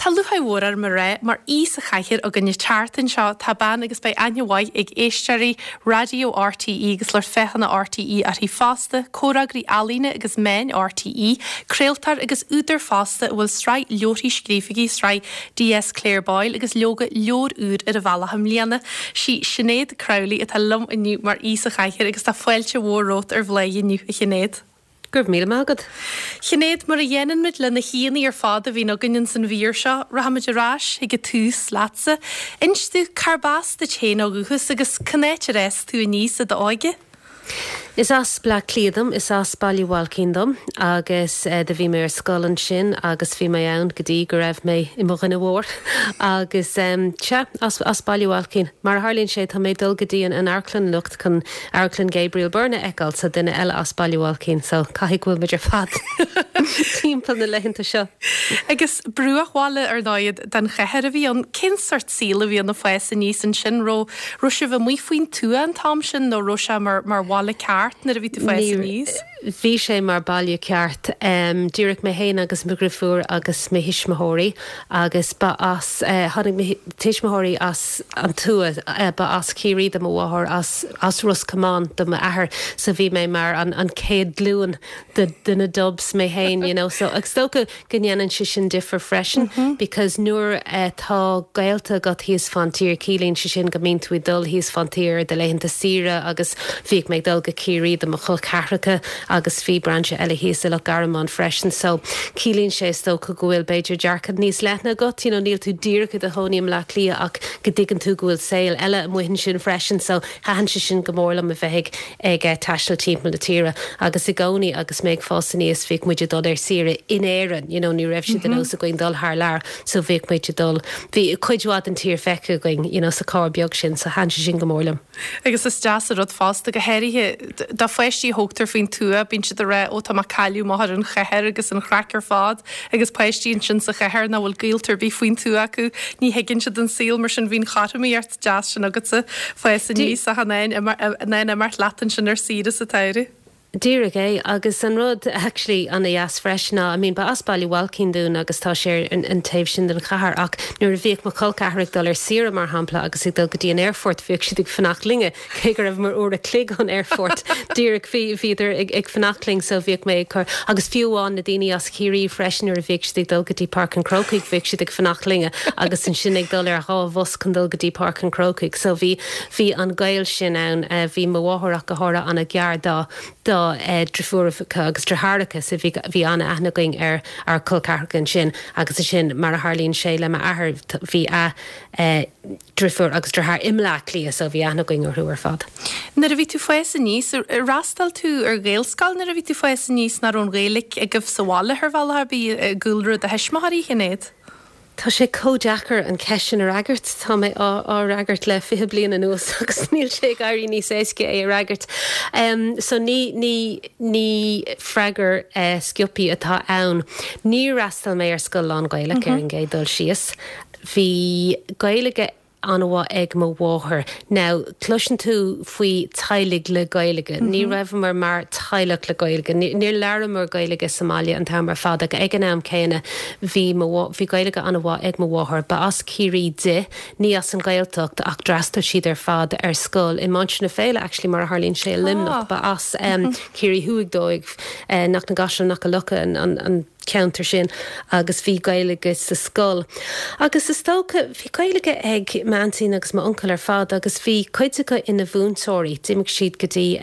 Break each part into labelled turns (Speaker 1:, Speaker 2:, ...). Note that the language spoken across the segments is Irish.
Speaker 1: Tá lúcháir mhór orm a rá, mar aoi sa chathaoir againn an tseachtain seo, tá bean agus beidh aithne mhaith ag éisteoirí Raidió RTÉ agus lucht féachana RTÉ uirthi fosta, comhfhreagraí ealaíne agus meáin RTÉ, craoltóir agus údar fosta a bhfuil sraith leabharthaí scríofa aici, sraith DS Claire Boyle agus leoga leabhar úr ar an bhealach i mbliana. Sí Sinéad Crowley atá liom inniu mar aoi sa chathaoir agus tá fáilte mhór romhat ar Bhláth inniu, a Shinéad.
Speaker 2: Go raibh míle maith agat.
Speaker 1: Shinéad, mar a dhéanann muid le na haíonna ar fad a bhíonn againn ins an mhír seo, rachaimid ar ais chuig an tús leatsa. Inis domh, cárb as duit féin ó dhúchas agus cén áit ar fhás tú aníos i d'óige?
Speaker 2: Is as Bleá Cliath dom, is as Baile Bhailcín dom agus do bhí mé ar scoil ansin agus bhí mé ann go dtí go raibh mé i mo dhuine mhór agus sea, as Baile Bhailcín. Mar a tharlaíonn sé, tá mé ag dul go dtí an amharclann anocht chun Amharclann Gabriel Byrne a fheiceáil, so duine eile as Baile Bhailcín, so caithfidh go bhfuil muid ar fad timpeall na laethanta seo.
Speaker 1: Agus bruachbhaile, ar ndóigh, den chathair a bhí ann. Cén sort saoil a bhí ann ag fás aníos ansin? Raibh raibh sibh amuigh faoin tuath an t-am sin nó raibh sé mar mar bhaile ceart nuair a bhí tú fás aníos?
Speaker 2: Bhí sé mar baile ceart. Díreach mé féin agus mo dhrifiúr agus mo thuismitheoirí agus ba as, tháinig mo tuismitheoirí as an tuath, ba as Ciarraí do mo mháthair, as as Ros Comáin do m'athair so bhí mé mar an an chéad glúin de de na Dubs mé féin you know so agus is dócha go ndéanann sé sin difear freisin because nuair atá gaolta agat thíos fán tír ciallaíonn sé sin go mbíonn tú ag dul thíos fán tír ar do laethanta saoire agus bhíodh mé ag dul go Ciarraí do mo chol ceathracha agus bhí brainse eile thíos i Loch Garman freisin so ciallaíonn sé is dócha go bhfuil b'fhéidir dearcadh níos leithne agat you know níl tú díreach i do chónaí i mBleá Cliath ach go dtuigeann tú go bhfuil saol eile amuigh ansin freisin so thaitin sé sin go mór liom a bheith ag ag taisteal timpeall na tíre agus i gcónaí agus mé ag fás aníos bhíodh muid ag dul ar saoire in Éirinn, you know, ní raibh sé de nós againn dul thar lear so bhíodh muid ag dul, bhí cuid mhaith den tír feicthe againn, you know, sa carr beag sin so thaitin sé sin go mór liom.
Speaker 1: Agus is deas an rud fosta, go háirithe do pháistí a thógtar faoin tuath, bíonn siad ag rá ó tá mé ag cailleadh amach ar an chathair agus an chraic ar fad agus páistí ansin sa chathair nach bhfuil gaolta ar bith faoin tuath acu, ní thuigeann siad an saol mar sin bhí an chothromaíocht deas sin agatsa, fás aníos ach in ann imeacht leat ansin ar saoire sa tsamhradh.
Speaker 2: Díreach é. Agus an rud actually ana-dheas freisin ná, I mean ba as Baile Bhailcín dúinn agus tá sé ar an taobh sin den chathair ach nuair a bhíodh mo chol ceathar ag dul ar saoire mar shampla agus ag dul go dtí an aerfort bhíodh siad ag fanacht linne cé go rabhamar uair a chloig ón aerfort díreach bhí bhíodar ag ag fanacht linn so bhíodh mé ag cur agus fiú amháin na daoine as Ciarraí freisin nuair a bhíodh siad ag dul go dtí Páirc an Chrócaigh bhíodh siad ag fanacht linne agus ansin ag dul ar dha bhus chun dul go dtí Páirc an Chrócaigh. So bhí, bhí an gaol sin ann. Bhí mo mháthair ach go háirithe an-ghar dá, dá driofúracha agus deartháireacha so bhí, bhí an-aithne againn ar ár col ceathracha ansin agus ansin mar a tharlaíonn sé le m'athair bhí a, driofúr agus deartháir i mBleá Cliath so bhí aithne againn orthu ar fad.
Speaker 1: Nuair a bhí tú fás aníos, ar fhreastail tú ar Ghaelscoil nuair a bhí tú fás aníos, nó raibh an Ghaeilge agaibh sa bhaile ar bhealach ar bith, i gcúlra do thuismitheoirí, Shinéad?
Speaker 2: Tá sé chomh deacair an cheist sin a fhreagairt. Tá mé á fhreagairt le 20 bliain anuas agus níl sé ag éirí níos éasca é a fhreagairt. So ní, ní, ní freagra sciobtha atá ann. Níor fhreastail mé ar scoil lán-Ghaelach ar an gcéad dul síos. Bhí Gaeilge an-mhaith ag mo mháthair. Now, cloiseann tú faoi teaghlaigh le Gaeilge. Ní raibheamar mar teaghlach le Gaeilge. Níor labhramar Gaeilge sa mbaile an t-am ar fad ach ag an am céanna bhí mo, bhí Gaeilge an-mhaith ag mo mháthair. Ba as Ciarraí di, ní as an Ghaeltacht ach d'fhreastail siad ar fad ar scoil i Mainistir na Féile actually mar a tharlaíonn sé i Luimneach. Ba as Ciarraí Thuaidh dóibh, Cnoc na gCaiseal, Cnoc an Locha, an. ceantar sin agus bhí Gaeilge sa scoil. Agus is dócha, bhí Gaeilge ag m'aintín agus m'uncail ar fad agus bhí cuid acu ina mhúinteoirí. D'imigh siad go dtí,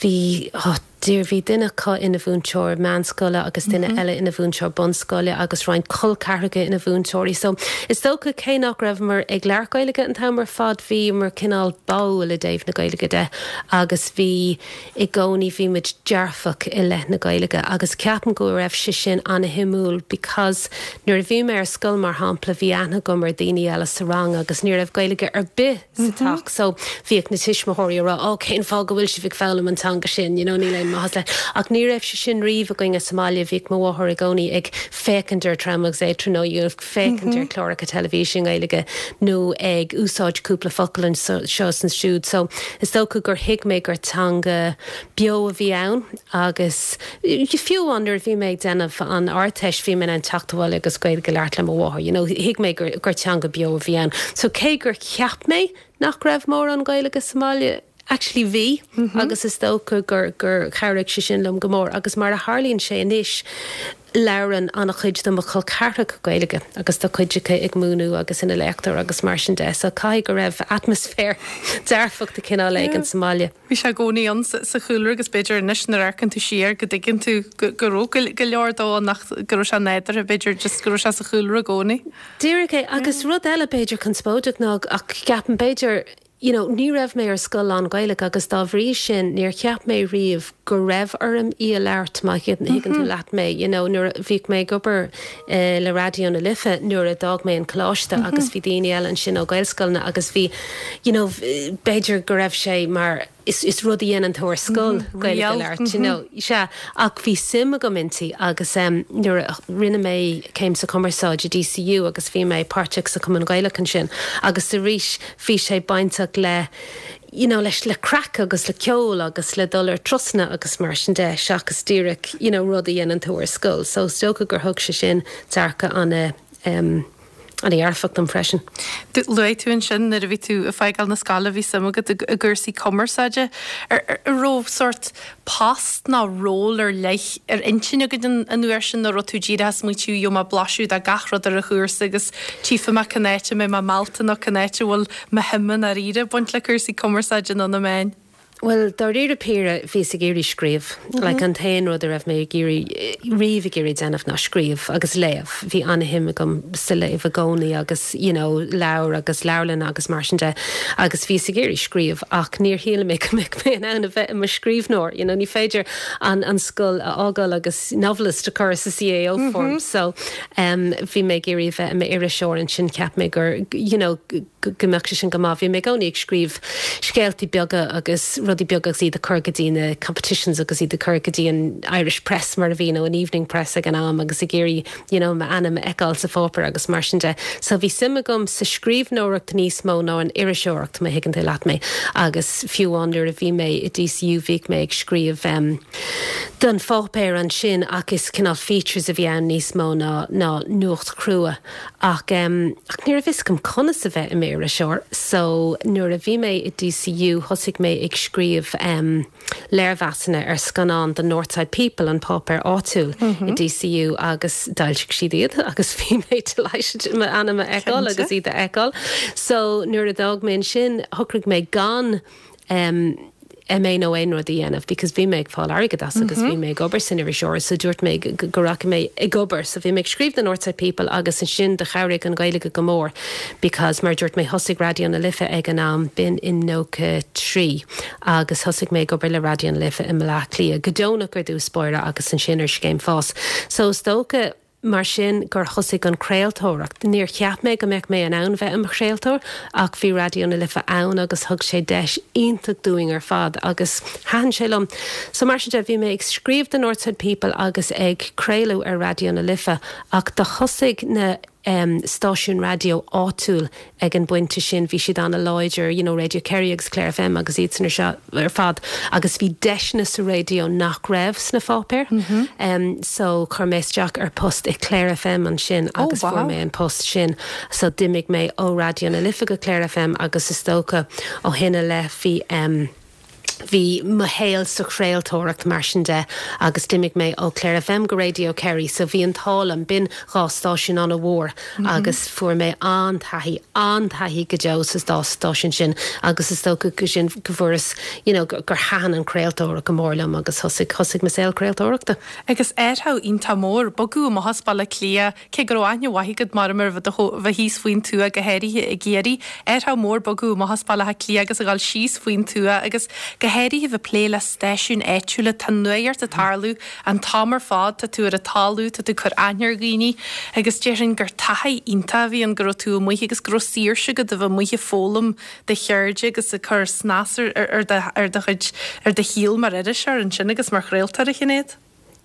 Speaker 2: bhí, oh dear, bhí duine acu ina mhúinteoir meánscoile agus duine eile ina mhúinteoir bunscoile agus roinnt col ceathracha ina mhúinteoirí. So is dócha cé nach rabhamar ag labhairt Gaeilge an t-am ar fad, bhíomar cineál báúil i dtaobh na Gaeilge de agus bhí, I gcónaí bhí muid dearfach i leith na Gaeilge agus ceapaim go raibh sé sin ana-shuimiúil because nuair a bhí mé ar scoil mar shampla bhí aithne agam ar daoine eile sa rang agus ní raibh Gaeilge ar bith sa teach so bhíodh na tuismitheoirí ag rá oh cén fáth go bhfuil sibh ag foghlaim an teanga sin you know níl aon. maitheas leis. Ach ní raibh sé sin riamh againne sa mbaile, bhíodh mo mháthair i gcónaí ag féachaint ar Tram agus Éadtra nó you know féachaint ar chláracha teilifíse i nGaeilge nó ag úsáid cúpla focal anseo is ansiúd. So is dócha gur thuig mé gur teanga beo a bhí ann agus fiú amháin nuair a bhí mé ag déanamh an Ardteist bhí mé in ann teacht abhaile agus Gaeilge a labhairt le mo mháthair, you know, thuig mé gur gur teanga beo a bhí ann. So cé gur cheap mé nach raibh mórán Gaeilge sa mbaile, actually bhí agus is dócha gur gur chabhraigh sé sin liom go mór agus mar a tharlaíonn sé anois labhrann an-chuid de mo chol ceathracha Gaeilge agus tá cuid acu ag múineadh agus ina léachtóir agus mar sin de so caithfidh go raibh atmaisféar dearfach de chineál éigin sa mbaile.
Speaker 1: Bhí sé i gcónaí ann sa chúlra agus b'fhéidir anois nuair a amharcann tú siar go dtuigeann tú go raibh go leor dó ann ach go raibh sé nádúrtha b'fhéidir just go raibh sé sa chúlra i gcónaí.
Speaker 2: Díreach é agus rud eile b'fhéidir conspóideach ná ach ceapaim b'fhéidir you know, ní raibh mé ar scoil lán-Ghaelach agus dá bhrí sin níor cheap mé riamh go raibh orm í a labhairt, má thuigeann tú leat mé, you know, nuair a bhíodh mé ag obair le Raidió na Life nuair a d'fhág mé an coláiste agus bhí daoine eile ansin ó Ghaelscoileanna agus bhí, you know, b'fhéidir go raibh sé mar is, is rud a dhéanann tú ar scoil, Gaeilge a labhairt, you know, sea, ach bhí suim agam inti agus em nuair a rinne mé céim sa chumarsáid i DCU agus bhí mé páirteach sa Chumann Gaelach ansin agus arís bhí sé bainteach le you know leis le craic agus le ceol agus le dul ar turasanna agus mar sin de seachas díreach you know rud a dhéanann tú ar scoil so is dócha gur thug sé sin dearcadh ana em ana-dhearfach dom
Speaker 1: freisin. Luaigh tú ansin nuair a bhí tú ag fágáil na scoile bhí suim agat i gcúrsaí cumarsáide. An raibh sórt post nó ról ar leith ar intinn agat an uair sin nó raibh tú díreach ag smaointiú gheobhaidh mé blaiseadh de gach rud ar an chúrsa agus tchífidh mé cén áit a mbeidh mé meallta nó cén áit a bhfuil mo shuim i ndáiríre ag baint le cúrsaí cumarsáide nó na meáin?
Speaker 2: Bhuel, dáiríre píre, bhíos ag iarraidh scríobh. Like, an t-aon rud a raibh mé ag iarraidh, riamh ag iarraidh déanamh ná scríobh agus léamh. Bhí an-shuim agam sa léamh i gcónaí agus, you know, leabhair agus leabharlanna agus mar sin de. Agus bhíos ag iarraidh scríobh ach níor shíl mé go mbeadh mé in ann a bheith i mo scríbhneoir. You know, ní féidir an, an scoil a fhágáil agus novelist a chur sa CAO form. So, em, bhí mé ag iarraidh a bheith i m'iriseoir ansin, cheap mé gur, you know, go mbeadh sé sin go maith. Bhí mé i gcónaí ag scríobh scéaltaí beaga agus rudaí beaga agus iad a chur go dtí na competitions agus iad a chur go dtí an Irish Press mar a bhí nó an Evening Press ag an am agus ag iarraidh you know m'ainm a fheiceáil sa pháipéar agus mar sin de. So bhí suim agam sa scríbhneoireacht níos mó ná an iriseoireacht má thuigeann tú leat mé agus fiú amháin nuair a bhí mé i DCU bhíodh mé ag scríobh em don pháipéar ansin ach is cineál features a bhí ann níos mó ná ná nuacht chrua. Ach em, ach ní raibh fhios agam conas a bheith i m'iriseoir so nuair a bhí mé i DCU thosaigh mé ag scríobh em léirmheasanna ar scannáin do Northside People, an páipéar áitiúil i DCU agus d'fhoilsigh siad iad agus bhí mé delighted m'ainm a fheiceáil agus iad a fheiceáil. So nuair a d'fhág mé ansin shocraigh mé gan em MA nó aon rud a dhéanamh because bhí mé ag fáil airgead as agus bhí mé ag obair san iriseoireacht so dúirt mé go rachaidh mé ag obair so bhí mé ag scríobh do Northside People agus ansin do chabhraigh an Ghaeilge go mór because mar a dúirt mé thosaigh Raidió na Life ag an am b'in in 93 agus thosaigh mé ag obair le Raidió na Life i mBleá Cliath go deonach ar dtús báire agus ansin ar scéim fás so is dócha Mar sin gur thosaigh an chraoltóireacht. Níor cheap mé go mbeadh mé in ann bheith i mo chraoltóir ach bhí Raidió na Life ann agus thug sé deis iontach dúinn ar fad agus thaitin sé liom. So mar sin de bhí mé ag scríobh do Northside People agus ag craoladh ar Raidió na Life ach do thosaigh na stáisiúin raidió áitiúil ag an bpointe sin bhí siad an-láidir, you know Radio Kerry agus Clare FM agus iadsan ar seo ar fad agus bhí deiseanna sa raidió nach raibh sna pháipéir. Em so chuir mé isteach ar post i Clare FM ansin oh, agus fuair mé an post sin. So d'imigh mé ó Raidió na Life go Clare FM agus is dócha ó shin i leith bhí em Bhí mo shaol sa chraoltóireacht mar sin de agus d'imigh mé ó Clare FM go Radio Kerry so bhí an t-ádh liom, b'in dhá stáisiún an-mhór agus fuair mé an-taithí, an-taithí go deo sa dá stáisiún sin agus is dócha go sin go bhfuaireas you know gur thaitin an chraoltóireacht go mór liom agus thosaigh, thosaigh mo saol craoltóireachta.
Speaker 1: Agus athrú iontach mór, bogadh amach as Baile Átha Cliath, Cé go raibh aithne mhaith agat mar ar bheith thíos faoin tuath, go háirithe i gCiarraí, athrú mór bogadh amach as Baile Átha Cliath agus a dhul síos faoin tuath agus go. háirithe a bheith ag plé le stáisiúin áitiúla, tá nuacht ag tarlú an t-am ar fad, tá tú ar an talamh, tá tú ag cur aithne ar dhaoine agus déarfainn gur taithí iontach a bhí ann go raibh tú amuigh agus go raibh saoirse agat a bheith amuigh ag foghlaim do cheirde agus ag cur snas ar do chuid, ar do shaol mar iriseoir ansin agus mar chraoltóir, a Shinéad.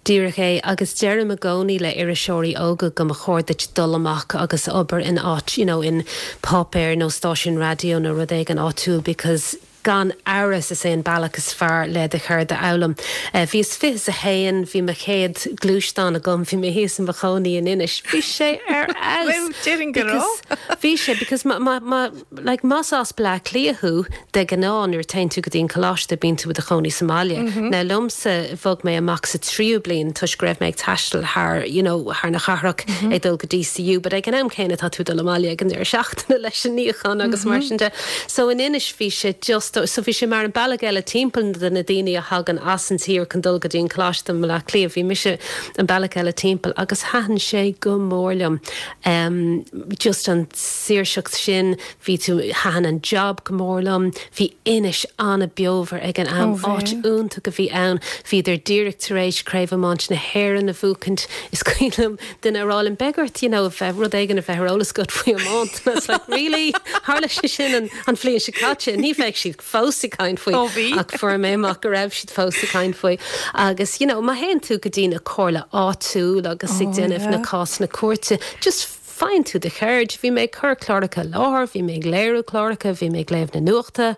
Speaker 2: Díreach é, agus deirim i gcónaí le iriseoirí óga go mba chóir duit dul amach agus obair in áit, you know, in páipéar nó stáisiún raidió nó rud éigin áitiúil because gan amhras is é an bealach is fearr le do cheird a fhoghlaim. Bhíos 21, bhí mo chéad gluaisteán agam, bhí mé thíos i mo chónaí in Inis, bhí sé ar fheabhas!
Speaker 1: Déarfainn go raibh.
Speaker 2: Bhí sé because má, má, má, Like, más as Bleá Cliath thú, de ghnáth nuair a téann tú go dtí an coláiste bíonn tú i do chónaí sa mbaile. Now liomsa, bhog mé amach sa tríú bliain toisc go raibh mé ag taisteal thar, you know, thar na cathrach ag dul go DCU, but ag an am céanna tá tú ag dul abhaile ag an deireadh seachtaine leis an níochán agus mar sin de. So in Inis bhí sé just, so bhí sé mar an bealach eile timpeall do na daoine a thagann as an tír chun dul go dtí an coláiste i mBleá Cliath, bhí mise an bealach eile timpeall agus thaitin sé go mór liom. Em, just an saoirseacht sin, bhí tú, thaitin an job go mór liom, bhí Inis an-bheomhar ag an am, áit iontach a bhí ann, bhíodar díreach tar éis Craobh Iomáint na hÉireann a bhuachaint, is cuimhin liom duine a rá liom, beidh ort, you know, bheith, rud éigin a bheith ar eolas agat faoi iomáint, and I was like, really? Tharla sé sin an, an bhliain seo caite, ní bheidh siad fós ag caint faoi, ach fuair mé amach go raibh siad fós ag caint faoi. Agus, you know, má théann tú go dtí na comhairle áitiúil agus ag déanamh na cásanna cúirte, just faigheann tú do cheird. Bhí mé ag cur cláracha i láthair, bhí mé ag léiriú cláracha, bhí mé ag léamh na nuachta.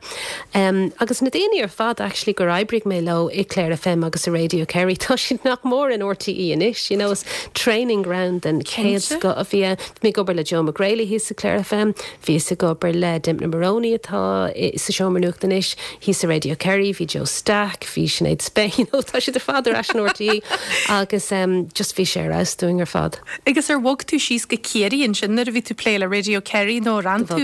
Speaker 2: Um, agus na daoine ar fad actually gur oibrigh mé leo i Clare FM agus i Radio Kerry, tá siad nach mór in RTÉ anois, you know, is training ground den chéad scoth a bhí ann. Bhí mé ag obair le Joe McGrailey thíos i Clare FM, Bhíos ag obair le Dympna Moroney atá sa Seomra Nuachta anois, thíos i Radio Kerry, bhí Joe Stack, bhí Sinéad Spain, you know, tá siad ar fad ar ais in RTÉ agus just bhí sé ar fheabhas dúinn ar fad.
Speaker 1: Agus ar bhog tú síos go Ciarraí ansin nuair a bhí tú ag plé le Radio Kerry nó ar fhan tú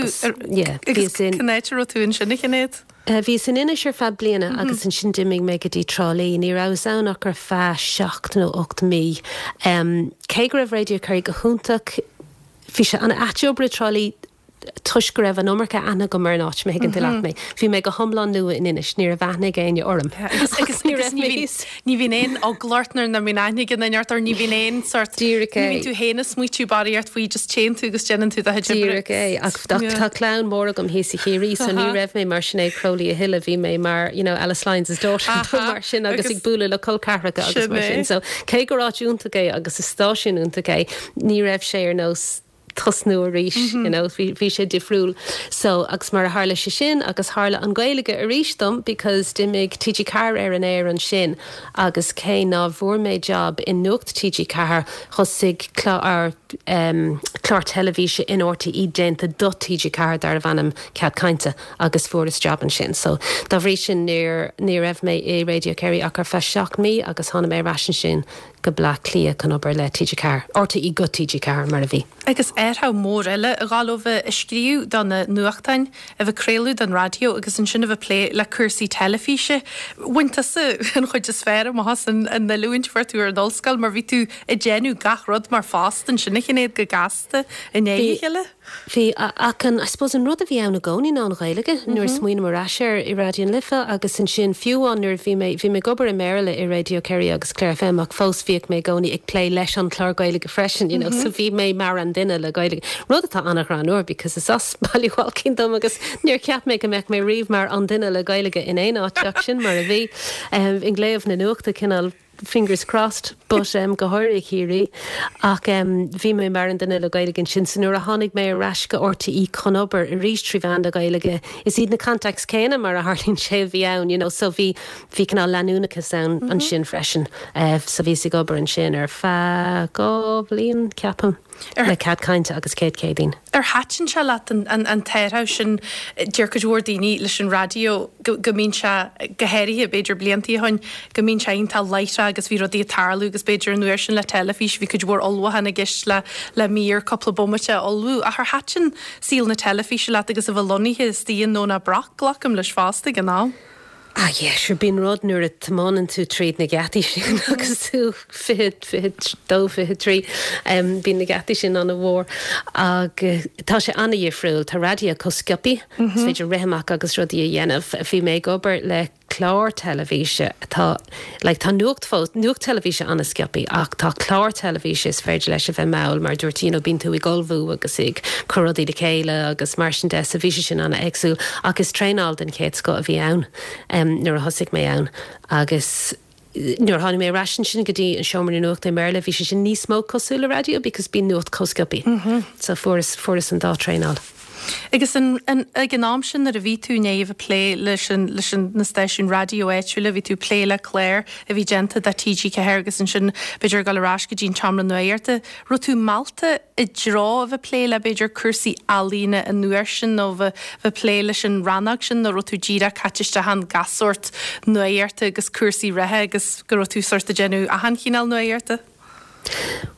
Speaker 2: Yeah,
Speaker 1: agus cén áit a raibh tú ansin a Shinéad?
Speaker 2: Bhíos in Inis ar feadh bliana agus ansin d'imigh mé go dtí Trá Lí. Ní rabhas ann ach ar feadh seacht nó 8 mí. Cé go raibh Radio Kerry go hiontach, Bhí sé an-ait obair i dTrá Lí toisc go raibh an iomarca aithne agam ar an áit, má thuigeann tú leat mé. Bhí mé go hiomlán nua in Inis, ní raibh aithne ag éinne orm.
Speaker 1: Agus ní raibh mé thíos. Ní bhíonn aon eagla ort nuair nach mbíonn aithne ag aon duine ort or ní bhíonn aon sort,
Speaker 2: Díreach é.
Speaker 1: ní bhíonn tú féin ag smaoitiú barraíocht faoi, just téann tú agus déanann tú do chuid
Speaker 2: oibre. Díreach é. Ach tá clann mhór agam thíos i Chiarraí so ní raibh mé mar Sinéad Crowley a thuilleadh, bhí mé mar, you know, Alice Lyons' daughter nó mar sin agus ag bualadh le col ceathracha agus mar sin. So cé gur áit iontach é agus is stáisiún iontach é, Ní raibh sé ar nós tosnú arís, you know, bhí, bhí sé difriúil. So, agus mar a tharla sé sin, agus tharla an Ghaeilge arís dom because d'imigh TG4 ar an aer ansin agus cé ná bhfuair mé job i Nuacht TG4, thosaigh clár, em, clár teilifíse in RTÉ déanta do TG4 darbh ainm Cead Cainte agus fuaireas job ansin. So, dá bhrí sin níor, ní raibh mé i Radio Kerry ach ar feadh 7 mí agus tháinig mé ar ais ansin go Bleá Cliath chun obair le TG4, RTÉ go TG4 mar a bhí.
Speaker 1: Agus athrú mór eile a ghabháil ó bheith ag scríobh do na nuachtáin, a bheith ag craoladh don raidió agus ansin a bheith ag plé le cúrsaí teilifíse. Bhain tusa an chuid is fearr amach as an oiliúint a fuair tú ar an ollscoil mar bhí tú ag déanamh gach rud mar phost ansin a Shinéad go gasta i ndiaidh a chéile.
Speaker 2: Bhí, ach an, I suppose an rud a bhí ann i gcónaí ná an Ghaeilge, nuair a smaoiním ar ais air i Raidió na Life agus ansin fiú amháin nuair a bhí mé, bhí mé ag obair i mBéarla i Radio Kerry agus Clare FM ach fós bhíodh mé i gcónaí ag plé leis an chlár Gaeilge freisin, you know, so bhí mé mar an duine le Gaeilge, rud atá an-ghreannmhar because is as Baile Bhailcín dom agus níor cheap mé go mbeadh mé riamh mar an duine le Gaeilge in aon áit ach sin mar a bhí. Ag léamh na nuachta cineál. fingers crossed, but em go háirithe Ciarraí, ach em bhí mé mar an duine le Gaeilge ansin so nuair a tháinig mé ar ais go RTÉ chun obair arís trí mheán na Gaeilge, is iad na contacts céanna mar a tharlaíonn sé a bhí ann, you know, so bhí, bhí cineál leanúnachas ann ansin freisin. Eh so bhíos ag obair ansin ar feadh 2 bhliain, ceapaim. Le Cead Cainte agus Céad Céadaoin.
Speaker 1: Ar thaitin sé leat an t-athrú sin? Deir cuid mhór daoine leis an raidió go mbíonn sé, go háirithe b'fhéidir bliantaí ó shin, go mbíonn sé iontach láithreach agus bhí rudaí ag tarlú agus b'fhéidir an uair sin le teilifís bhí cuid mhór ullmhúchán i gceist le le mír cúpla bomaite a ullmhú. Ach ar thaitin saol na teilifíse leat agus a bheith lonnaithe istigh i nDomhnach Broc, glacaim leis fosta ag an am?
Speaker 2: Ah yeah, sure, bíonn rud nuair a tiomáineann tú tríd na geataí sin agus tú 20, 22, 23, bíonn na geataí sin an-mhór agus tá sé an-dhifriúil, tá raidió chomh sciobtha, is féidir rith amach agus rudaí a dhéanamh. Bhí mé ag obair le. clár teilifíse atá, like tá nuacht fós, nuacht teilifíse an-sciobtha ach tá clár teilifíse is féidir leis a bheith mall mar a dúirt you know bíonn tú ag ullmhú agus ag cur rudaí le chéile agus mar sin de so bhí sé sin an-éagsúil ach is traenáil den chéad scoth a bhí ann nuair a thosaigh mé ann agus nuair a tháinig mé ar ais ansin go dtí an seomra nuachta i mBéarla bhí sé sin níos mó cosúil le raidió because bíonn nuacht chomh sciobtha so fuaireas fuaireas an dá traenáil.
Speaker 1: Agus an, an, ag an am sin nuair a bhí tú i ndiaidh a bheith ag plé leis an, leis an, na stáisiúin raidió áitiúla, bhí tú ag plé le cláir a bhí déanta do TG4 agus ansin b'fhéidir ag dul ar ais go dtí an tseomra nuachta, raibh tú meallta i dtreo a bheith ag plé le b'fhéidir cúrsaí ealaíne an uair sin nó bheith ag plé leis an rannóg sin nó raibh tú díreach caite isteach ann gach sórt nuachta agus cúrsaí reatha agus go raibh tú sórt ag déanamh achan chineál nuachta?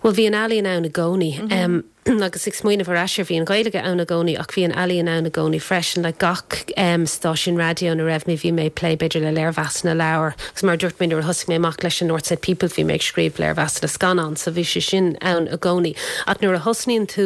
Speaker 2: Bhuel bhí an ealaíon ann i gcónaí agus ag smaoineamh ar ais air bhí an Ghaeilge ann i gcónaí ach bhí an ealaíon ann i gcónaí freisin like gach stáisiún raidió ina raibh mé bhí mé ag plé b'fhéidir le léirmheasanna leabhar agus mar a dúirt mé nuair a thosaigh mé amach leis an Northside People bhí mé ag scríobh léirmheasanna scannán so bhí sé sin ann i gcónaí ach nuair a thosnaíonn tú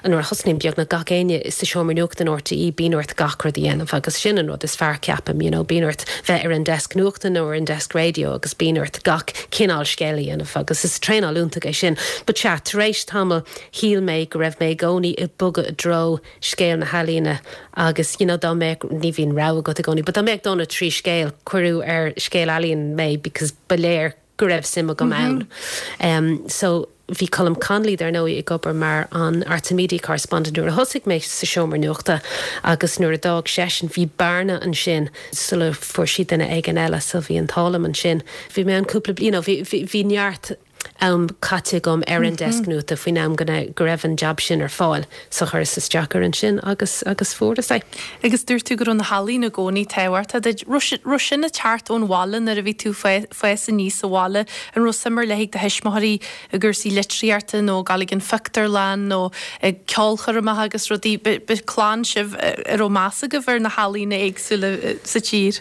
Speaker 2: nuair a thosnaíonn beagnach gach éinne sa seomra nuachta in RTÉ bíonn ort gach rud a dhéanamh agus sin an rud is fearr ceapaim you know bíonn ort bheith ar an desk nuachta nó ar an desk raidió agus bíonn ort gach cineál scéal a dhéanamh agus is traenáil iontach é sin. But sea, tar éis tamaill shíl mé go raibh mé i gcónaí ag bogadh i dtreo scéal na healaíne agus you know dá mbeadh, ní bhíonn rogha agat i gcónaí, but dá mbeadh dó nó 3 scéal, cuireadh ar scéal ealaíon mé because ba léir go raibh suim agam ann. So bhí Colm Connolly, dar ndóigh, ag obair mar an Arts and Media Correspondent nuair a thosaigh mé sa seomra nuachta agus nuair a d'fhág seisean bhí bearna ansin sula fuair siad duine éigin eile so bhí an t-ádh liom ansin. Bhí mé ann cúpla you know bhí bhí neart am caite agam ar an desk nuachta faoin am go go raibh an jab sin ar fáil. So chuireas isteach air ansin agus agus fuaireas é.
Speaker 1: Agus dúirt tú go raibh na healaíona i gcónaí tábhachtach duit. Raibh raibh sin ag teacht ón bhaile nuair a bhí tú fás aníos sa bhaile? An raibh suim ar leith ag do thuismitheoirí i gcúrsaí litríochta nó ag dul ag an phictiúrlann nó ag ceolchoirmeacha agus rudaí? Ba clann sibh a raibh meas agaibh ar na healaíona éagsúla sa tír?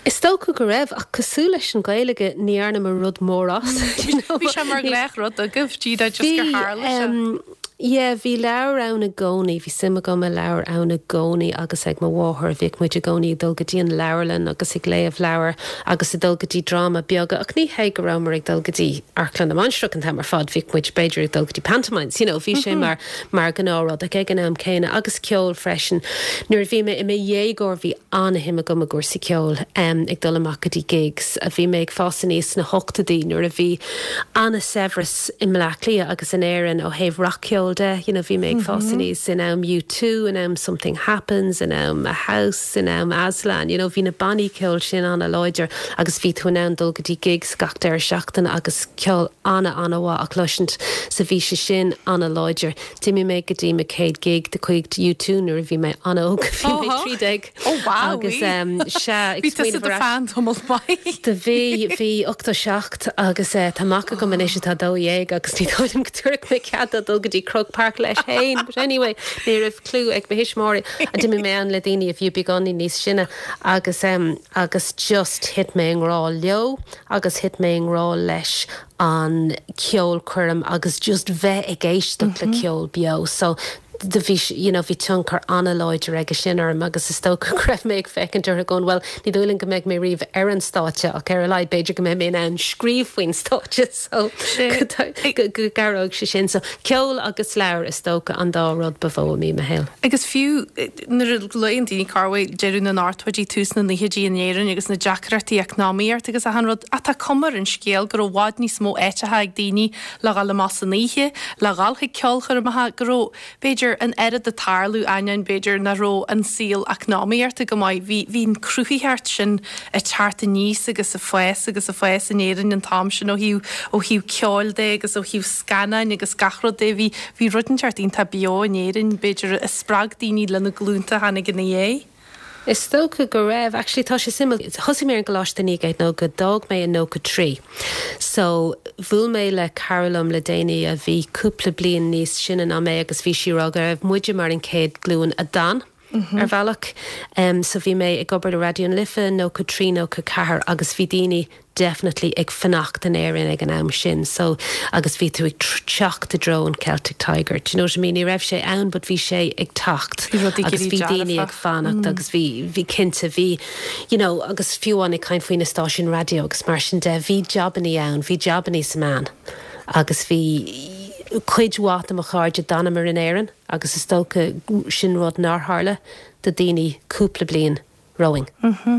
Speaker 2: Is dócha go raibh, ach cosúil leis an Ghaeilge, ní dhearnamar rud mór as,
Speaker 1: you know. Bhí sé mar ghnáthrud agaibh, díreach just gur tharla sé.
Speaker 2: Bhí, yeah, bhí leabhair ann i gcónaí, bhí suim agam i leabhair ann i gcónaí agus ag mo mháthair, bhíodh muid i gcónaí ag dul go dtí an leabharlann agus ag léamh leabhar agus ag dul go dtí dráma beaga, ach ní hé go rabhamar ag dul go dtí Amharclann na Mainistreach an t-am ar fad, bhíodh muid b'fhéidir ag dul go dtí pantomimes, you know, bhí sé mar, mar ghnáthrud ach ag an am céanna agus ceol freisin. Nuair a bhí mé i mo dhéagóir bhí an-shuim agam i gcúrsaí ceoil, ag dul amach go dtí gigs. Bhí mé ag fás aníos sna hochtóidí nuair a bhí an-saibhreas i mBleá Cliath agus in Éirinn ó thaobh rac-cheoil de. You know, bhí mé ag fás aníos in am U2, in am Something Happens, in am A House, in am Aslan. You know, bhí na bannaí ceoil sin an-láidir agus bhí tú in ann dul go dtí gigs gach deireadh seachtaine agus ceol ana-ana-mhaith á chloisint. So bhí sé sin ana-láidir. D'imigh mé go dtí mo chéad gig de chuid U2 nuair a bhí mé an-óg, bhí mé 13.
Speaker 1: Oh wow! Agus sea, ag Bhí tusa smaoineamh do ar ais. fan tamall maith.
Speaker 2: Do bhí, bhí 87 agus tá mac agam anois atá 12 agus ní dóigh liom go dtabharfadh mé cead dó dul go dtí Croke Park leis féin. But anyway, ní raibh clue ag mo thuismitheoirí. D'imigh mé ann le daoine a bhí beagáinín níos sine agus agus just thit mé i ngrá leo agus thit mé i ngrá leis an ceolchoirm agus just bheith ag éisteacht le ceol beo so do bhí you know bhí tionchar an-láidir aige sin orm agus is dócha go raibh mé ag féachaint orthu going well ní dóigh liom go mbeidh mé riamh ar an stáitse ach ar a laghad b'fhéidir go mbeidh mé in ann scríobh faoin stáitse so go go gcabhróidh sé sin so ceol agus leabhair is dócha an dá rud ba mhó a bhí i mo shaol.
Speaker 1: Agus fiú nuair a luann daoine corruair deireadh na n-ochtóidí, tús na naochaidí in Éirinn agus na deacrachtaí eacnamaíochta agus achan rud, ach tá cuma ar an scéal go raibh i bhfad níos mó áiteacha ag daoine le dhul amach san oíche, le dhul chuig ceolchoirmeacha, go raibh, b'fhéidir, an oiread ag tarlú, ainneoin, b'fhéidir, nach raibh an saol eacnamaíochta go maith. Bhí, bhí an cruthaitheacht sin ag teacht aníos agus ag fás agus ag fás in Éirinn an t-am sin ó thaobh, ó thaobh ceoil de agus ó thaobh scannáin agus gach rud de. Bhí, bhí rud inteacht iontach beo in Éirinn, b'fhéidir, a spreag daoine le na glúnta a tháinig ina dhiaidh.
Speaker 2: Is dócha go raibh. Actually tá sé suimiúil. Thosaigh mé ar an gcoláiste i 1990, d'fhág mé i 93. So, bhuail mé le cara liom le déanaí a bhí cúpla bliain níos sine ná mé agus bhí sí ag rá go raibh muide mar an chéad glúin a d'fhan. Ar bhealach. So bhí mé ag obair le Raidió na Life, 93, 94 agus bhí daoine definitely ag fanacht in Éirinn ag an am sin so agus bhí tú ag teacht i dtreo an Celtic Tiger, do you know what I mean? Ní raibh sé ann but bhí sé ag teacht agus bhí daoine ag fanacht agus bhí, bhí cinnte, bhí you know agus fiú amháin ag caint faoi na stáisiúin raidió agus mar sin de, bhí jabannaí ann, bhí jabannaí sa meán agus bhí cuid mhaith de mo chairde d'fhanamar in Éirinn. Agus is dócha sin rud nár tharla do daoine cúpla bliain romhainn.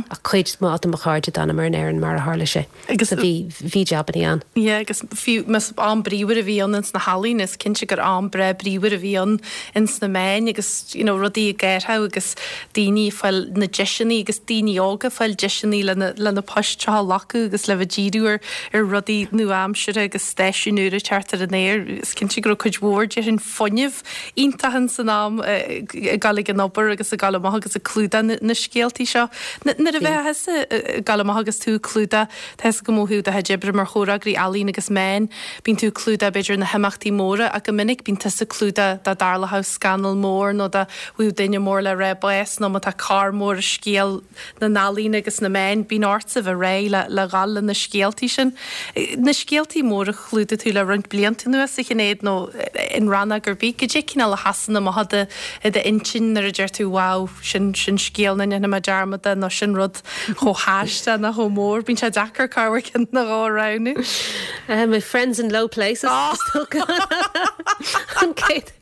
Speaker 2: Ach cuid mhaith de mo chairde d'fhanamar in Éirinn mar a tharla sé. Agus bhí, bhí jabannaí ann.
Speaker 1: Yeah, agus fiú más am bríomhar a bhí ann ins na healaíona, is cinnte gur am breá bríomhar a bhí ann ins na meáin agus, you know, rudaí ag athrú agus daoine ag fáil na deiseanna agus daoine óga ag fáil deiseanna le na, le na poist seo a ghlacadh agus le bheith díriú ar, ar rudaí nua-aimseartha agus stáisiúin úra ag teacht ar an aer. Is cinnte go raibh cuid mhór déarfainn fuinneamh iontach ins an am ag dul ag an obair agus ag dul amach agus ag clúdach na scéaltaí seo. Nuair a bheifeá thusa ag dul amach agus tú ag clúdach, tá fhios agam ó thaobh do chuid oibre mar chomhfhreagraí ealaíon agus meán, bíonn tú ag clúdach b'fhéidir na himeachtaí móra ach go minic bíonn tusa ag clúdach dá dtarlódh scannal mór nó dá bhfaigheadh duine mór le rá bás nó má tá cor mór i scéal na n-ealaíon agus na meáin, bíonn ortsa bheith réidh le le dhul le na scéaltaí sin. Na scéaltaí móra a chlúdaigh tú le roinnt blianta anuas, a Shinéad, nó in rannóg ar bith, goidé cineál a sheasann amach i do i d'intinn nuair a deir tú wow, sin sin scéal nach ndéanfaidh mé dearmad de nó sin rud chomh haisteach nó chomh mór. Bíonn sé deacair corruair ceann nó dhó a roghnú.
Speaker 2: My friends in low places, is dócha. An chéad.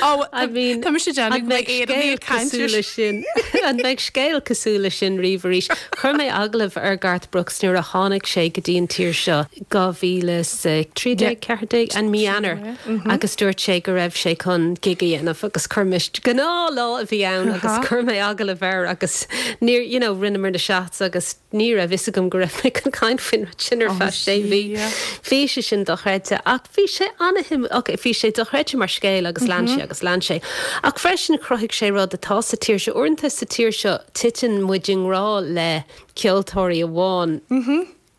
Speaker 1: Ó, I mean, tá mise ag déanamh go mbeidh Éireannaigh ag caint
Speaker 2: ar sin. An mbeidh scéal cosúil leis sin riamh arís? Chuir mé agallamh ar Garth Brooks nuair a tháinig sé go dtí an tír seo, 2013, 14, an mí Eanáir, agus dúirt sé go raibh sé chun gig a dhéanamh agus chuir mé, gnáthlá a bhí ann agus chuir mé agallamh air agus níor, you know, rinneamar na shots agus ní raibh fhios agam go raibh mé chun caint faoin rud sin ar feadh sé mhí. Bhí sé sin dochreidte ach bhí sé an-shuimiúil, ok, bhí sé dochreidte mar scéal agus lean sé agus lean sé. Ach freisin chruthaigh sé rud atá sa tír seo. Uaireanta sa tír seo titeann muid i ngrá le ceoltóirí amháin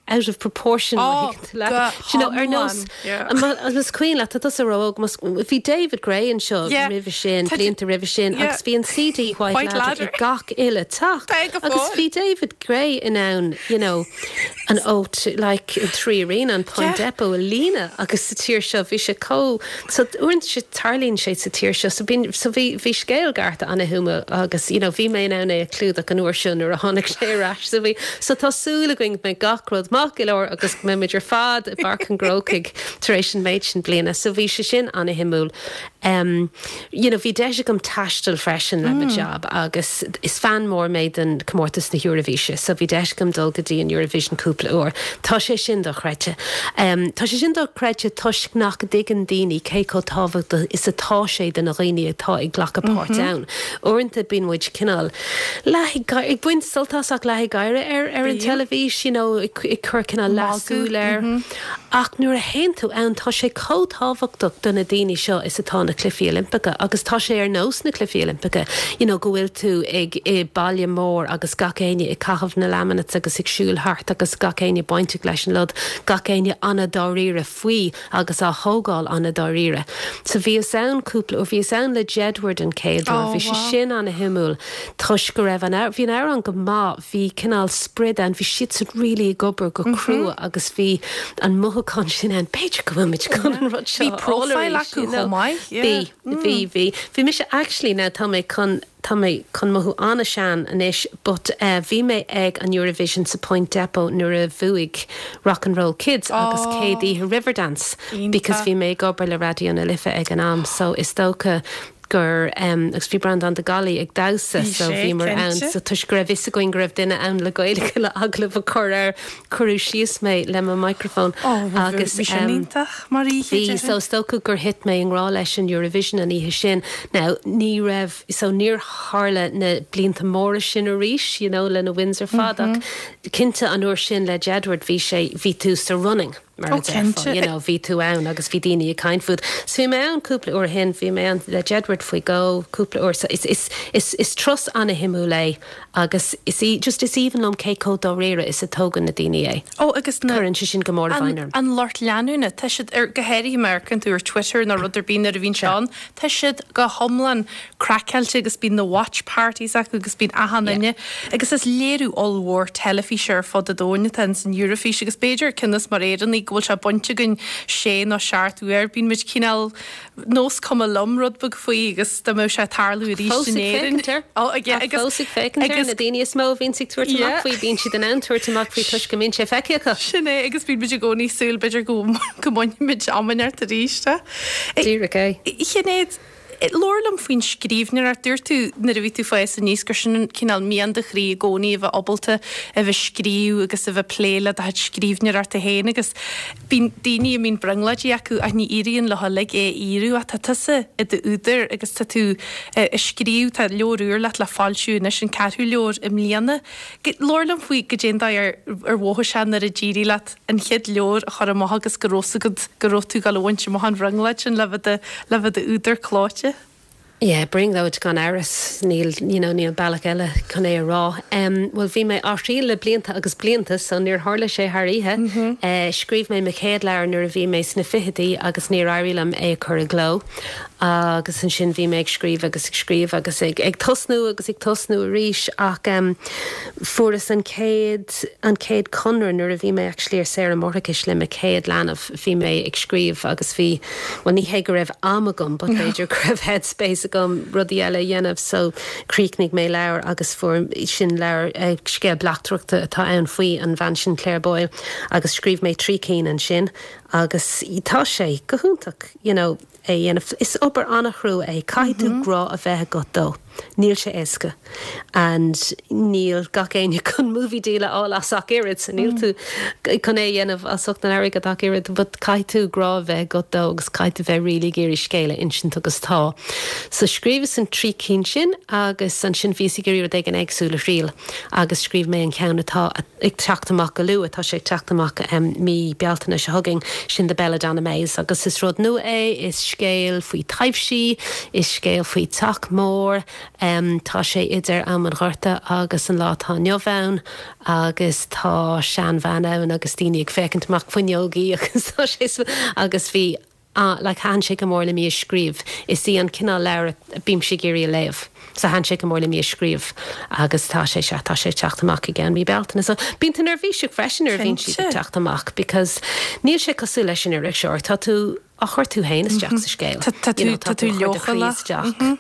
Speaker 2: out of proportion, má thuigeann tú leat. Do you know, ar nós, más cuimhin leat, tá tusa ró-óg, bhí David Gray anseo roimhe sin, blianta roimhe sin, agus bhí an CD White Ladder ag gach uile teach. Agus bhí David Gray in ann, you know, an O2, like, an 3Arena, an Point Depot a líonadh agus sa tír seo bhí sé chomh, so uaireanta tarlaíonn sé sa tír seo, so bíonn, so bhí, bhí scéal Garth an-shuimiúil agus, you know, bhí mé in ann é a chlúdach an uair seo nuair a tháinig sé ar ais, so bhí, so tá súil againn go mbeidh gach rud maith go leor agus go mbeidh muid ar fad i bPáirc an Chrócaigh tar éis an méid sin bliana, so bhí sé sin an-shuimiúil. Em, you know, bhí deis agam taisteal freisin le mo job agus is fan mór mé den comórtas na hEoraifíse, so bhí deis agam dul go dtí an Eurovision cúpla uair. Tá sé sin dochreidte. Em, tá sé sin dochreidte toisc nach dtuigeann daoine cé chomh tábhachtach is atá sé do na dhaoine atá ag glacadh páirt ann. Uaireanta bíonn muid cineál leath ag ag baint sult as ach leath ag gáire ar ar an teilifís, you know, ag ag cur cineál leathsúil air. Ach nuair a théann tú ann, tá sé chomh tábhachtach do na daoine seo is atá na Cluichí Oilimpeacha agus tá sé ar nós na Cluichí Oilimpeacha, you know, go bhfuil tú ag i baile mór agus gach éinne ag caitheamh na laminates agus ag siúl thart agus gach éinne bainteach leis an rud, gach éinne an-dáiríre faoi agus á thógáil an-dáiríre. So bhíos ann cúpla uair, bhíos ann le Jedward an chéad uair, bhí sé sin an-shuimiúil toisc go raibh an, bhí an amhrán go maith, bhí cineál sprid ann, bhí siadsan really ag obair go crua agus bhí an mothúchán sin ann, b'fhéidir go bhfuil muid chun an rud seo
Speaker 1: a fháil arís, you know.
Speaker 2: Bhí, bhí, bhí. Bhí mise actually now tá mé chun, tá mé chun mothú an-sean anois but eh bhí mé ag an Eurovision sa Point Depot nuair a bhuaigh Rock and Roll Kids agus céad oíche Riverdance because bhí mé ag obair le Raidió na Life ag an am so is dócha gur agus bhí Breandán de Gallaí ag damhsa so bhíomar ann so toisc go raibh fhios againn go raibh duine ann le Gaeilge le agallamh a chur air cuireadh síos mé le mo microphone
Speaker 1: agus bhí sin iontach mar oíche
Speaker 2: bhí so is dócha gur thit mé i ngrá leis an Eurovision an oíche sin now ní raibh so níor tharla na blianta móra sin arís you know le na wins ar fad ach cinnte an uair sin le Jedward bhí sé bhí tú sa running. mar a déarfá, you know, bhí tú ann agus bhí daoine ag caint fút. So bhí mé ann cúpla uair ó shin, bhí mé ann le Jedward faoi dhó cúpla uair, so is, is, is, is turas ana-shuimiúil é agus is í, just is aoibhinn liom cé chomh dáiríre is a tógann na daoine é.
Speaker 1: Ó agus
Speaker 2: na, Cuireann sé sin go mór i bhfeidhm
Speaker 1: orm. an lucht leanúna, tá siad ar, go háirithe má amharcann tú ar Twitter nó rud ar bith nuair a bhíonn sé ann, tá siad go hiomlán. craiceáilte agus bíonn na watch parties acu agus bíonn achan duine agus is léiriú ollmhór teilifíse ar fud an domhain atá ins an Eurofís agus b'fhéidir cionn is mar Éireannaigh go bhfuil sé bainte againn sé nó seacht uair bíonn muid cineál nós cuma liom rud beag faoi agus dá mbeadh sé ag tarlú arís in Éirinn.
Speaker 2: Fós ag féachaint air. Fós ag féachaint air. Na daoine is mó a bhíonns ag tabhairt amach faoi, bíonn siad in ann tabhairt amach faoi toisc go mbíonn sé feicthe acu.
Speaker 1: Sin é agus bíonn muid i gcónaí ag súil b'fhéidir go go mbainfimid iomaíocht arís.
Speaker 2: Díreach é.
Speaker 1: A Shinéad, labhair liom faoin scríbhneoireacht. Dúirt tú nuair a bhí tú ag fás aníos gur sin an cineál mian do chroí i gcónaí a bheith ábalta a bheith scríobh agus a bheith plé le do chuid scríbhneoireachta féin agus Bíonn daoine a mbíonn brionglóidí acu ach ní éiríonn leo uilig é a fhíorú ach tá tusa i d'údar agus tá tú ag scríobh, tá leabhar úr leat le foilsiú anois, an ceathrú leabhar i mbliana. Labhair liom faoi goidé an dóigh ar ar mhothaigh sé nuair a d'éirigh leat an chéad leabhar a chur amach agus go raibh 's agat go raibh tú ag dul a bhaint amach an bhrionglóid sin le bheith le bheith i d'údar clóite.
Speaker 2: Yeah, brionglóid gan amhras, níl, you know, níl bealach eile chun é a rá. Em, bhuel bhí mé á thriail le blianta agus blianta so níor tharla sé thar oíche. Eh, scríobh mé mo chéad leabhar nuair a bhí mé sna fichidí agus níor éirigh liom é a chur i gcló. Agus ansin bhí mé ag scríobh agus ag scríobh agus ag, ag tosnú agus ag tosnú arís ach em, fuaireas an chéad, an chéad chonradh nuair a bhí mé actually ar saoire máithreachais le mo chéad leanbh. Bhí mé ag scríobh agus bhí, bhuel ní hé go raibh am agam but b'fhéidir go raibh headspace agam rudaí eile a dhéanamh so chríochnaigh mé leabhar agus fuair, sin leabhar, scéal bleachtaireachta atá ann faoi an bhean sin Claire Boyle agus scríobh mé trí cinn ansin agus tá sé go hiontach you know é a dhéanamh. Is obair an-chrua é, caithfidh tú grá a bheith agat dó. Níl sé éasca and níl gach éinne chun movie deal a fháil as ach oiread so níl tú chun é a dhéanamh as ucht an airgid ach oiread but caithfidh tú grá a bheith agat dó agus caithfidh tú bheith really ag iarraidh scéal a insint agus tá. So scríobhas an trí cinn sin agus ansin bhíos ag iarraidh rud éigin éagsúil a thriail agus scríobh mé an ceann atá ag teacht amach go luath, tá sé ag teacht amach mí Bealtaine seo chugainn, sin The Belladonna Maze agus is rud nua é, is scéal faoi taibhsí, is scéal faoi teach mór, tá sé idir am an Ghorta agus an lá atá inniu ann agus tá seanbhean ann agus daoine ag féachaint amach fuinneogaí agus tá sé agus bhí Ah, like, thaitin sé go mór liom í a scríobh. Is í an cineál leabhair a bímse ag iarraidh a léamh. So thaitin sé go mór liom í a scríobh agus tá sé, sea, tá sé ag teacht amach i gceann mí Bealtaine. So bíonn tú neirbhíseach freisin nuair a bhíonn siad ag teacht amach because níl sé cosúil leis an iriseoir. Tá tú á chur tú féin isteach sa scéal.
Speaker 1: Tá tú, tá tú leochaileach.
Speaker 2: Isteach.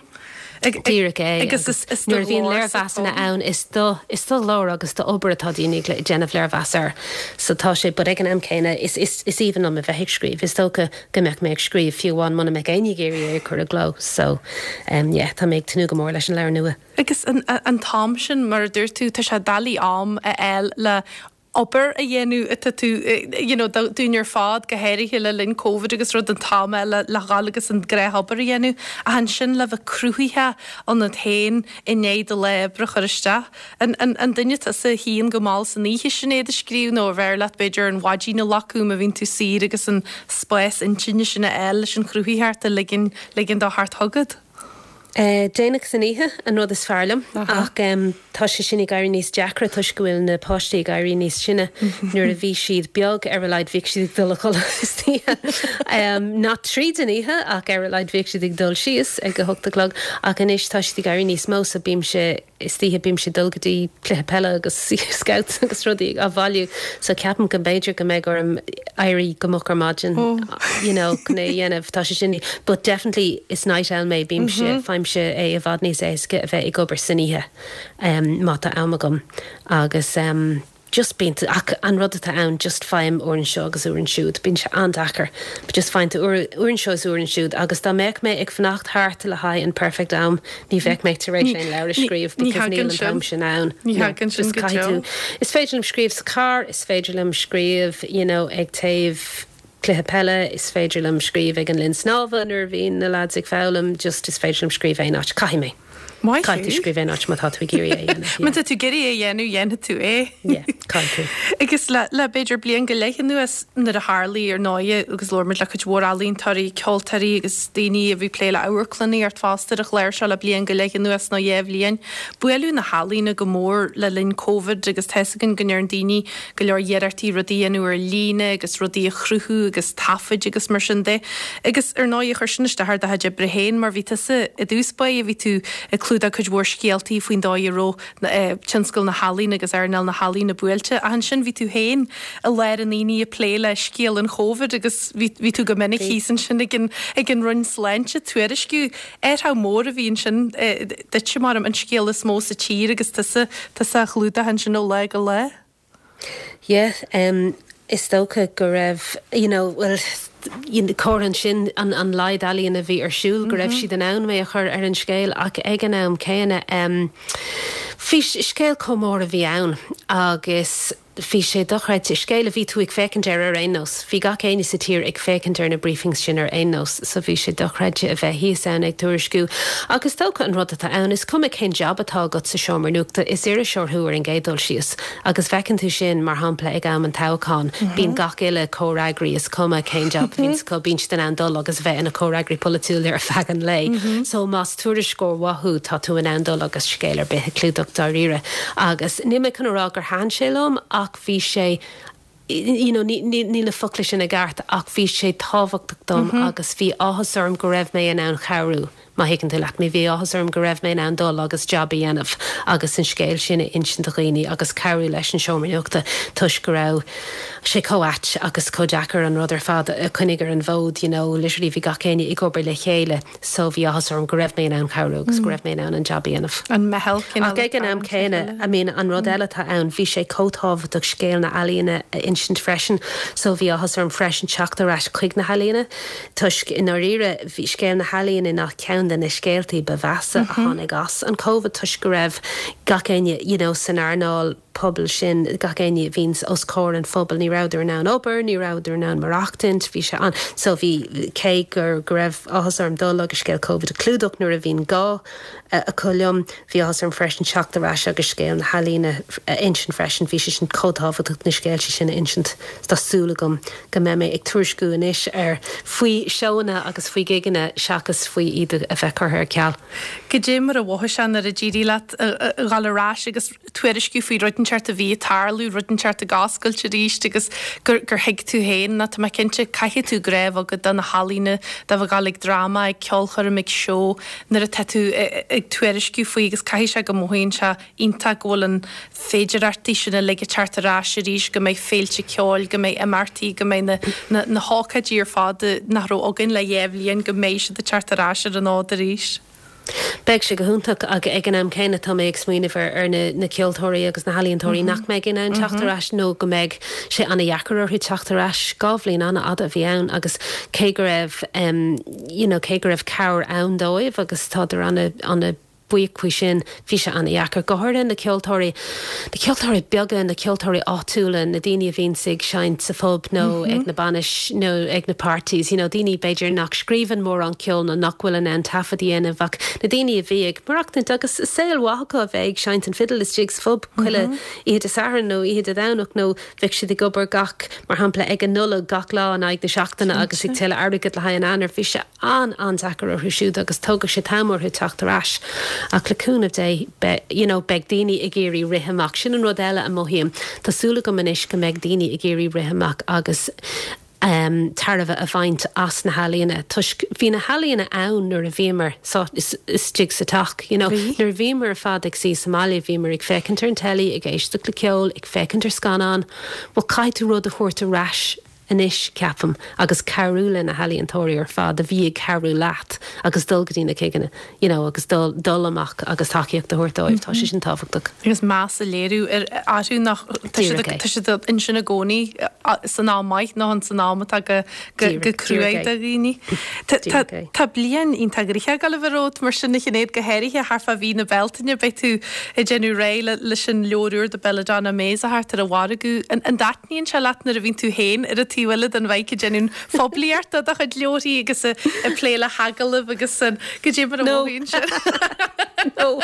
Speaker 2: Díreach é. Agus nuair a bhíonn léirmheasanna ann, is do, is do leabhar agus do obair atá daoine ag déanamh léirmheas air. So tá sé, but ag an am céanna, is, is, is aoibhinn liom a bheith ag scríobh. Is dócha go mbeadh mé ag scríobh fiú amháin muna mbeadh éinne ag iarraidh é a chur i gcló. So, em, yeah, tá mé ag tnúth go mór leis an leabhar nua.
Speaker 1: Agus an, an t-am sin, mar a dúirt tú, tá sé doiligh am a fháil le obair a dhéanamh atá tú you know dúinn ar fad, go háirithe le linn Covid agus rud an t-am le le dhul agus an gnáthobair a dhéanamh ach ansin le bheith cruthaitheach ionat féin i ndiaidh do lá oibre a chur isteach. An an an duine tusa a shuíonn go mall san oíche Sinéad ag scríobh nó arbh fhearr leat b'fhéidir an mhaidin a ghlacadh má bhíonn tú saor agus an spás intinne sin a fháil leis an chruthaitheacht a ligean ligean dó theacht chugat?
Speaker 2: Déanach san oíche an rud is fearr liom ach tá sé sin ag éirí níos deacra toisc go bhfuil na páistí ag éirí níos sine. Nuair a bhí siad beag, ar a laghad bhíodh siad ag dul a chodladh istoíche. Not tríd an oíche ach ar a laghad bhíodh siad ag dul síos ag a hocht a chlog ach anois tá siad ag éirí níos mó so bímse Istoíche bímse ag dul go dtí cluiche peile agus scouts agus rudaí á bhailiú so ceapaim go mb'fhéidir go mbeidh orm éirí go moch ar maidin you know chun é a dhéanamh. Tá sé sin but definitely is night owl mé bímse faighimse é i bhfad níos éasca a bheith ag obair san oíche má tá am agam agus just bíonn tú, ach an rud atá ann, just faighim uair anseo agus uair ansiúd, bíonn sé an-deacair, but just faigheann tú uair, uair anseo is uair ansiúd agus dá mbeadh mé ag fanacht thart le haghaidh an perfect am, ní bheadh mé tar éis aon leabhar a scríobh because níl an t-am sin ann.
Speaker 1: Ní thagann sin go deo.
Speaker 2: Is féidir liom scríobh sa charr, is féidir liom scríobh, you know, ag taobh cluiche peile, is féidir liom scríobh ag an linn snámha nuair a bhíonn na lads ag foghlaim, just is féidir liom scríobh aon áit, caithfidh mé.
Speaker 1: Maith
Speaker 2: Caithfidh tú scríobh aon áit má tá tú ag iarraidh é a dhéanamh.
Speaker 1: Má tá tú ag iarraidh é a dhéanamh, dhéanfaidh tú é.
Speaker 2: Yeah, caithfidh
Speaker 1: tú. Agus le, le b'fhéidir bliain go leith anuas, nuair a tharlaigh, ar ndóighe, agus labhair muid le cuid mhór ealaíontóirí, ceoltóirí agus daoine a bhí ag plé le amharclannaíocht fosta ar an chlár seo le bliain go leith anuas nó dhéa bhliain, buaileadh na healaíona go mór le linn Covid agus tá 'fhios againn go ndearn daoine go leor iarrachtaí rudaí a dhéanamh ar líne agus rudaí a chruthú agus taifid agus mar sin de. Agus ar ndóigh, chuir sin isteach ar do chuid oibre féin mar bhí tusa i dtús báire, bhí tú ag clúdach cuid mhór scéaltaí faoin dóigh a raibh tionscal na healaíon agus earnáil na healaíona buailte. Ach ansin bhí tú féin i lár an aonaigh ag plé le scéal an Chóivid agus bhí bhí tú go minic thíos ansin ag an ag an Roinn Sláinte ag tuairisciú. Athrach mór a bhí ansin duitse, mar an scéal is mó sa tír agus tusa tusa á chlúdach ansin ó lá go lá.
Speaker 2: Yeah, em, is dócha go raibh, you know, well, you know, comhartha ansin an, an laghad ealaíon a bhí ar siúl, go raibh siad in ann mé a chur ar an scéal ach ag an am céanna, em, bhí scéal chomh mór a bhí ann agus bhí sé dochreidte, scéal a bhí tú ag féachaint air ar aon nós, bhí gach éinne sa tír ag féachaint ar na briefings sin ar aon nós, so bhí sé dochreidte a bheith thíos ann ag tuairisciú ach is dócha an rud atá ann, is cuma cén jab atá agat sa seomra nuachta, is iriseoir thú ar an gcéad dul síos. Agus feiceann tú sin, mar shampla, ag am an toghcháin, bíonn gach uile comhfhreagraí, is cuma cén jab a bhíonns acu, bíonn siad in ann dul agus a bheith ina comhfhreagraí polaitiúil ar feadh an lae. So más tuairisceoir mhaith thú, tá tú in ann dul agus scéal ar bith a chlúdach dáiríre. Agus níl mé chun a rá gur thaitin sé liom ach bhí sé, you know, níl na focla sin i gceart ach bhí sé tábhachtach dom agus bhí áthas orm go raibh mé in ann cabhrú, má thuigeann tú leat mé. Bhí áthas orm go raibh mé in ann dul agus jab a dhéanamh agus an scéal sin a insint do dhaoine agus cabhrú leis an seomra nuachta toisc go raibh sé chomh ait agus chomh deacair an rud ar fad a choinneáil ar an bhfód, you know, literally bhí gach éinne ag obair le chéile. So bhí áthas orm go raibh mé in ann cabhrú agus go raibh mé in ann an jab a dhéanamh.
Speaker 1: An meitheal
Speaker 2: cineál Ach ag an am céanna, I mean an rud eile atá ann, bhí sé chomh tábhachtach scéal na healaíona a insint freisin. So bhí áthas orm freisin teacht ar ais chuig na healaíona toisc i ndáiríre bhí scéal na healaíona ná ceann de na scéaltaí ba mheasa a tháinig as an Covid toisc go raibh gach éinne you know san earnáil pobail sin, gach éinne a bhíonns os comhair an phobail, ní rabhadar in ann obair, ní rabhadar in ann maireachtaint, bhí sé an-, so bhí, cé gur, go raibh áthas orm dul agus scéal Covid a chlúdach nuair a bhí an gá acu liom, bhí áthas orm freisin teacht ar ais agus scéal na healaíona a insint freisin, bhí sé sin chomh tábhachtach na scéalta sin a insint. Tá súil agam go mbeidh mé ag tuairisciú anois ar, faoi seóanna agus faoi ghigeanna seachas faoi iad a bheith curtha ar ceal.
Speaker 1: Goidé mar a mhothaigh sé nuair a d'éirigh leat a dhul ar ais agus tuairisciú faoi rud inteacht a bhí ag tarlú, rud inteacht ag oscailt arís agus gur gur thuig tú féin, nó tá mé cinnte, caithfidh tú grá a bheith agat do na healaíona, do bheith ag dul ag dráma, ag ceolchoirm, ag seó, nuair atá tú ag tuairisciú faoi agus caithfidh sé go mothaíonn sé iontach go bhfuil an féidireachtaí sin uilig ag teacht ar ais arís, go mbeidh féilte ceoil, go mbeidh imeachtaí, go mbeidh na na na hócáidí ar fad nach raibh againn le dhéa bhliain, go mbeidh siad ag teacht ar ais ar an fhód arís.
Speaker 2: Beidh sé go hiontach ach ag an am céanna tá mé ag smaoineamh ar ar na na ceoltóirí agus na healaíontóirí nach mbeidh in ann teacht ar ais nó go mbeidh sé an-dheacair orthu teacht ar ais. 2 bhliain an-fhada a bhí ann agus cé go raibh you know cé go raibh cabhair ann dóibh agus tádar ana ana buíoch faoi sin, bhí sé an-dheacair, go háirithe na ceoltóirí, na ceoltóirí beaga, na ceoltóirí áitiúla, na daoine a bhíonns ag seinnt sa phub nó ag na bainis nó ag na parties, you know, daoine b'fhéidir nach scríobhann mórán ceoil nó nach bhfuil in ann taifead a dhéanamh ach na daoine a bhí ag maireachtaint agus saol mhaith acu a bheith ag seinnt an fidil istigh sa phub chuile oíche Dé Sathairn nó oíche Dé Domhnach nó bheadh siad ag obair gach, mar shampla, ag an Nollaig gach lá in aghaidh na seachtaine agus ag tuilleadh airgid le haghaidh an Eanáir. Bhí sé an-an-deacair orthu siúd agus tógfaidh sé t-am orthu teacht ar ais. Ach le cúnamh Dé, beidh, you know, beidh daoine ag iarraidh rith amach. Sin an rud eile a mothaím. Tá súil agam anois go mbeidh daoine ag iarraidh rith amach agus em tairbhe a bhaint as na healaíona toisc bhí na healaíona ann nuair a bhíomar sa, istigh sa teach, you know.
Speaker 1: Bhí.
Speaker 2: Nuair a bhíomar ar fad ag suí sa mbaile bhíomar ag féachaint ar an teilí, ag éisteacht le ceol, ag féachaint ar scannán. Bhuel caithfidh tú rud a thabhairt ar ais anois, ceapaim, agus cabhrú le na healaíontóirí ar fad a bhí ag cabhrú leat agus dul go dtí na gigeanna, you know, agus dul, dul amach agus tacaíocht a thabhairt dóibh, tá sé sin tábhachtach.
Speaker 1: Agus meas a léiriú ar, orthu nach, tá siad,
Speaker 2: Díreach é.
Speaker 1: tá siad ansin i gcónaí san am maith nó san am atá go, go, go
Speaker 2: Díreach, díreach
Speaker 1: cruaidh
Speaker 2: é.
Speaker 1: do dhaoine. Tá, tá,
Speaker 2: Díreach é.
Speaker 1: tá bliain iontach gnoitheach ag dul a bheith romhat mar sin a Shinéad, go háirithe thart fá mhí na Bealtaine, beidh tú ag déanamh réidh le, leis an leabhar úr The Belladonna Maze a theacht ar an mhargadh. An, an dtaitníonn sé leat nuair a bhíonn tú féin ar an taobh eile den mhic ag déanamh phoiblíocht do do chuid leabharthaí agus ag plé le hagallaimh agus an, goidé mar a
Speaker 2: No.
Speaker 1: mhothaíonn sin?
Speaker 2: No.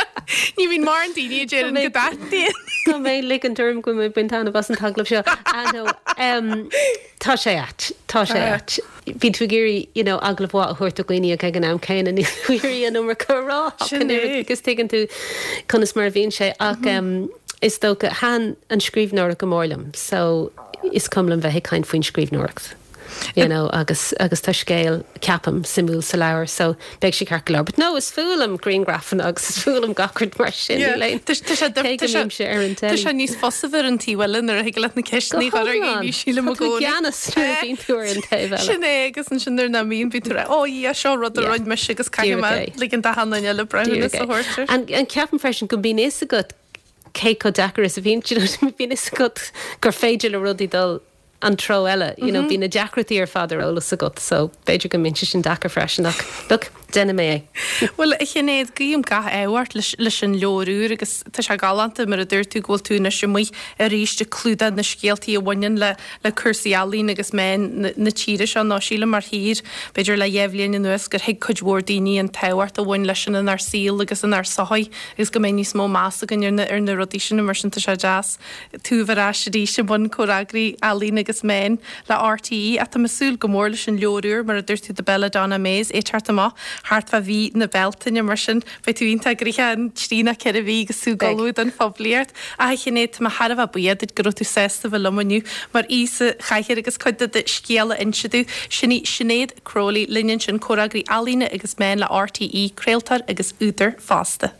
Speaker 1: Ní bhíonn mórán daoine a deireann go dtaitníonn.
Speaker 2: Tá mé ag ligint orm go bhfuil mé ag baint taitneamh as an t-agallamh seo. Ah no, tá sé ait, tá sé ait. Bíonn tú ag iarraidh, you know, agallamh mhaith a thabhairt do dhaoine ach ag an am céanna níl tú ag iarraidh an iomarca a rá ach
Speaker 1: Sin
Speaker 2: an oiread
Speaker 1: é.
Speaker 2: agus tuigeann tú conas mar a bhíonn sé ach is dócha, thaitin an scríbhneoireacht go mór liom so is cuma liom bheith ag caint faoin scríbhneoireacht. you know agus agus tá scéal, ceapaim, suimiúil sa leabhar so beidh sé ceart go leor. But no, is fuath liom grianghrafanna agus is fuath liom gach rud mar sin,
Speaker 1: Yeah.
Speaker 2: níl aon,
Speaker 1: Tá tá sé
Speaker 2: cé go
Speaker 1: tá sé
Speaker 2: mbímse ar an
Speaker 1: tá
Speaker 2: telly.
Speaker 1: sé níos fusa bheith ar an taobh eile nuair a thig leat na
Speaker 2: Go
Speaker 1: ceisteanna a chur ar
Speaker 2: hiomlán.
Speaker 1: dhaoine, sílim
Speaker 2: Tá
Speaker 1: i
Speaker 2: tú i
Speaker 1: gcónaí.
Speaker 2: gceannas nuair a bhíonn tú ar an taobh eile.
Speaker 1: Sin é agus ansin nuair nach mbíonn bíonn tú ag rá, Ó yeah, seo rud a
Speaker 2: Yeah.
Speaker 1: rinne mise agus caithfidh
Speaker 2: Díreach
Speaker 1: mé
Speaker 2: é.
Speaker 1: ligean d'achan duine eile breithiúnas
Speaker 2: Díreach
Speaker 1: a
Speaker 2: é.
Speaker 1: thabhairt air.
Speaker 2: And and ceapaim freisin go mbíonn fhios agat cé chomh deacair is a bhíonn, do you know, bíonn fhios agat gur féidir le rudaí dul an treo eile, you know, bíonn na deacrachtaí ar fad ar eolas agat so b'fhéidir go mbíonn sé sin deacair freisin ach look, déanfaidh mé é.
Speaker 1: Bhuel, a Shinéad, guím gach ádh ort leis leis an leabhar úr agus tá sé galánta mar a dúirt tú go bhfuil tú anois amuigh arís ag clúdach na scéaltaí a bhaineann le le cúrsaí ealaíon agus meáin na na tíre seo nó sílim mar thír, b'fhéidir le dhéá bhliain anuas gur thuig cuid mhór daoine an tábhacht a bhain leis sin inár saol agus inár sochaí agus go mbeidh níos mó meas againn ar na ar na rudaí sin mar sin tá sé deas tú a bheith ar ais arís i mbun comhfhreagraí ealaíon agus meán le RTÉ ach tá mé ag súil go mór leis an leabhar úr, mar a dúirt tú, The Belladonna Maze, é ag teacht amach thart fá mhí na Bealtaine, mar sin beidh tú iontach gnoitheach an trí nó ceithre mhí agus tú ag ullmhú don phoiblíocht. Ach a Shinéad, tá mé thar a bheith buíoch duit go raibh tú sásta bheith liom inniu mar aoi sa chathaoir agus cuid de do scéal a inse domh. Sin í Sinéad Crowley linn ansin, comhfhreagraí ealaíne agus meán le RTÉ, craoltóir agus údar fosta.